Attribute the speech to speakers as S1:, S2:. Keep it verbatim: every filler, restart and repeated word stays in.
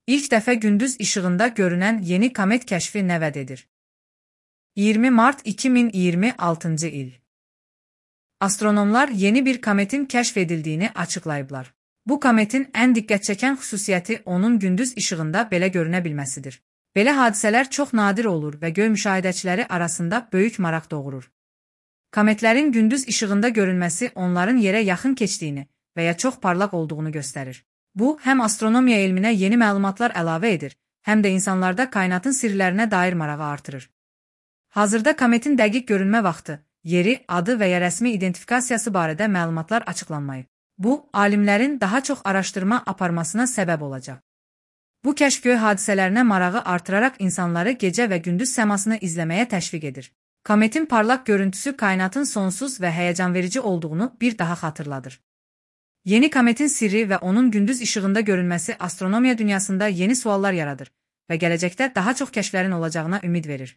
S1: İlk dəfə gündüz işığında görünən yeni komet kəşfi nə vəd edir? iyirmi mart iki min iyirmi altıncı il. Astronomlar yeni bir kometin kəşf edildiyini açıqlayıblar. Bu kometin ən diqqət çəkən xüsusiyyəti onun gündüz işığında belə görünə bilməsidir. Belə hadisələr çox nadir olur və göy müşahidəçiləri arasında böyük maraq doğurur. Kometlərin gündüz işığında görünməsi onların yerə yaxın keçdiyini və ya çox parlaq olduğunu göstərir. Bu, həm astronomiya elminə yeni məlumatlar əlavə edir, həm də insanlarda kainatın sirlərinə dair marağı artırır. Hazırda kometin dəqiq görünmə vaxtı, yeri, adı və ya rəsmi identifikasiyası barədə məlumatlar açıqlanmayıb. Bu, alimlərin daha çox araşdırma aparmasına səbəb olacaq. Bu kəşf göy hadisələrinə marağı artıraraq insanları gecə və gündüz səmasını izləməyə təşviq edir. Kometin parlaq görüntüsü kainatın sonsuz və həyəcanverici olduğunu bir daha xatırladır. Yeni kometin sirri və onun gündüz işığında görünməsi astronomiya dünyasında yeni suallar yaradır və gələcəkdə daha çox kəşflərin olacağına ümid verir.